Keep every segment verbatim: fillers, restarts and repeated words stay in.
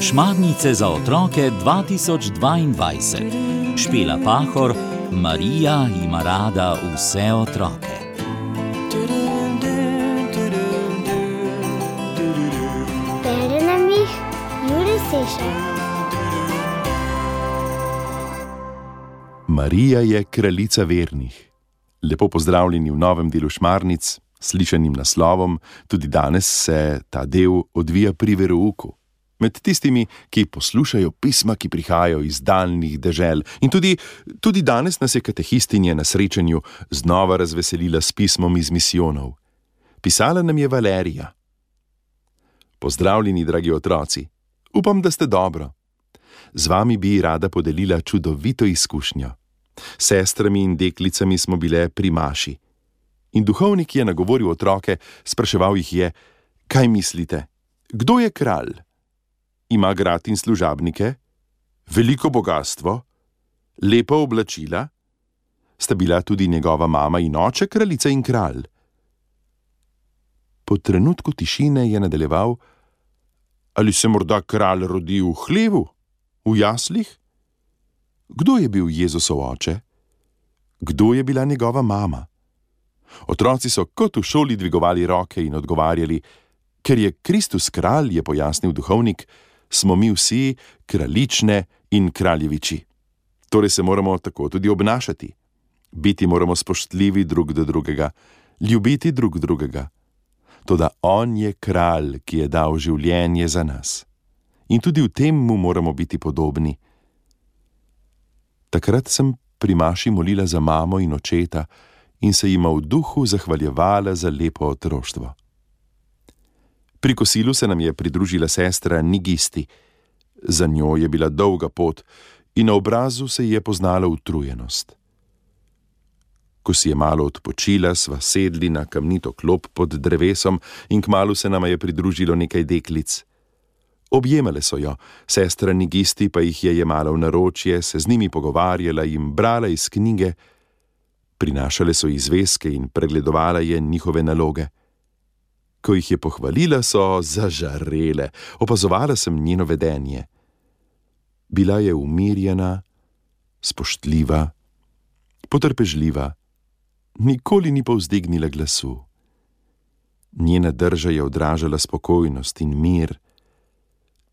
Šmarnice za otroke dva tisoč dvaindvajset. Špela Pahor, Marija ima rada vse otroke. Bere nam jih Jure Sešar. Marija je kraljica vernih. Lepo pozdravljeni v novem delu Šmarnic, slišanim naslovom. Tudi danes se ta del odvija pri verouku. Med tistimi, ki poslušajo pisma, ki prihajajo iz daljnih dežel. In tudi, tudi danes nas je katehistinja na srečanju znova razveselila s pismom iz misijonov. Pisala nam je Valerija. Pozdravljeni, dragi otroci. Upam, da ste dobro. Z vami bi rada podelila čudovito izkušnjo. S sestrami in deklicami smo bile pri maši. In duhovnik je nagovoril otroke, spraševal jih je: kaj mislite, kdo je kralj? Ima grad in služabnike? Veliko bogastvo? Lepa oblačila? Sta bila tudi njegova mama in oče kraljica in kralj? Po trenutku tišine je nadaljeval: ali se morda kralj rodi v hlevu? V jaslih? Kdo je bil Jezusov oče? Kdo je bila njegova mama? Otroci so kot v šoli dvigovali roke in odgovarjali: ker je Kristus kralj, je pojasnil duhovnik, smo mi vsi kraljične in kraljeviči. Torej se moramo tako tudi obnašati. Biti moramo spoštljivi drug do drugega, ljubiti drug drugega. Toda on je kralj, ki je dal življenje za nas. In tudi v tem mu moramo biti podobni. Takrat sem pri maši molila za mamo in očeta in se jima v duhu zahvaljevala za lepo otroštvo. Pri kosilu se nam je pridružila sestra Nigisti. Za njo je bila dolga pot in na obrazu se je poznala utrujenost. Ko si je malo odpočila, sva sedli na kamnito klop pod drevesom in kmalu se nama je pridružilo nekaj deklic. Objemale so jo, sestra Nigisti pa jih je jemala v naročje, se z njimi pogovarjala in brala iz knjige. Prinašale so izveske in pregledovala je njihove naloge. Ko jih je pohvalila, so zažarele, opazovala sem njeno vedenje. Bila je umirjena, spoštljiva, potrpežljiva, nikoli ni povzdignila glasu. Njena drža je odražala spokojnost in mir.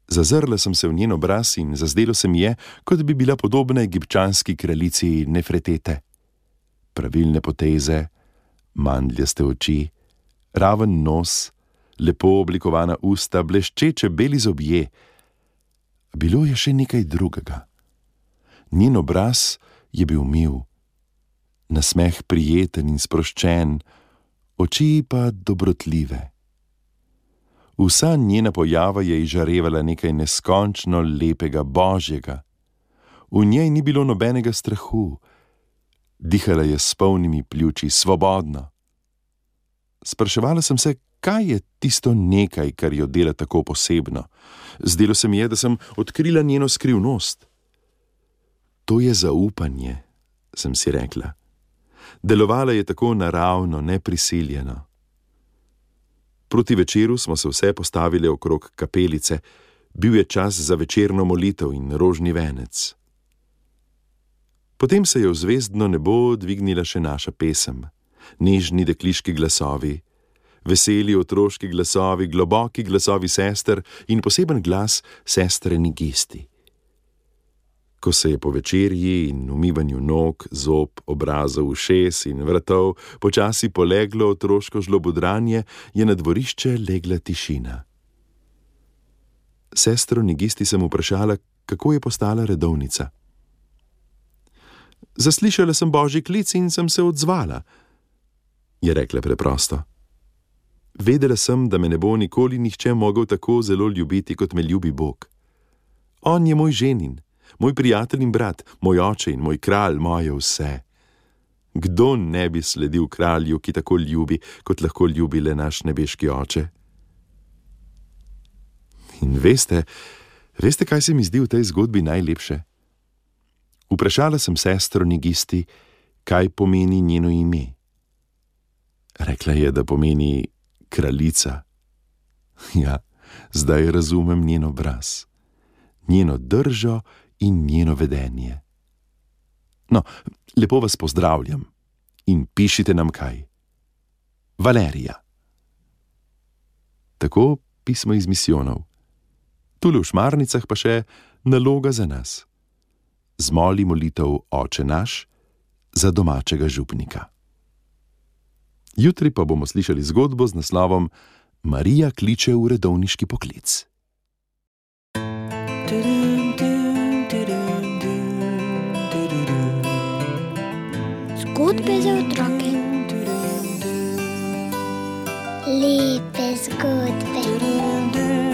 Zazrla sem se v njen obraz in zazdelo se mi je, kot bi bila podobna egipčanski kraljici Nefretete. Pravilne poteze, mandljaste oči, raven nos, lepo oblikovana usta, bleščeče beli zobje. Bilo je še nekaj drugega. Njen obraz je bil mil, nasmeh prijeten in sproščen, oči pa dobrotljive. Vsa njena pojava je izžarevala nekaj neskončno lepega, božjega. V njej ni bilo nobenega strahu. Dihala je s polnimi pljuči, svobodno. Spraševala sem se, kaj je tisto nekaj, kar jo dela tako posebno. Zdelo se mi je, da sem odkrila njeno skrivnost. To je zaupanje, sem si rekla. Delovala je tako naravno, neprisiljeno. Proti večeru smo se vse postavile okrog kapelice. Bil je čas za večerno molitev in rožni venec. Potem se je v zvezdno nebo dvignila še naša pesem. Nežni dekliški glasovi, veseli otroški glasovi, globoki glasovi sester in poseben glas sestre Nigisti. Ko se je po večerji in umivanju nog, zob, obrazov, ušes in vratov počasi poleglo otroško žlobodranje, je na dvorišče legla tišina. Sestro Nigisti sem vprašala, kako je postala redovnica. Zaslišala sem božji klic in sem se odzvala, je rekla preprosto. Vedela sem, da me ne bo nikoli nihče mogel tako zelo ljubiti, kot me ljubi Bog. On je moj ženin, moj prijatelj in brat, moj oče in moj kralj, moje vse. Kdo ne bi sledil kralju, ki tako ljubi, kot lahko ljubi le naš nebeški oče? In veste, veste, kaj se mi zdi v tej zgodbi najlepše? Vprašala sem sestro Nigisti, kaj pomeni njeno ime. Rekla je, da pomeni kraljica. Ja, zdaj razumem njen obraz, njeno držo in njeno vedenje. No, lepo vas pozdravljam in pišite nam kaj. Valerija. Tako pismo iz misijonov. Tule v Šmarnicah pa še naloga za nas. Zmoli molitev Oče naš za domačega župnika. Jutri pa bomo slišali zgodbo z naslovom Marija kliče v redovniški poklic. Zgodbe za otroke. Lepe zgodbe.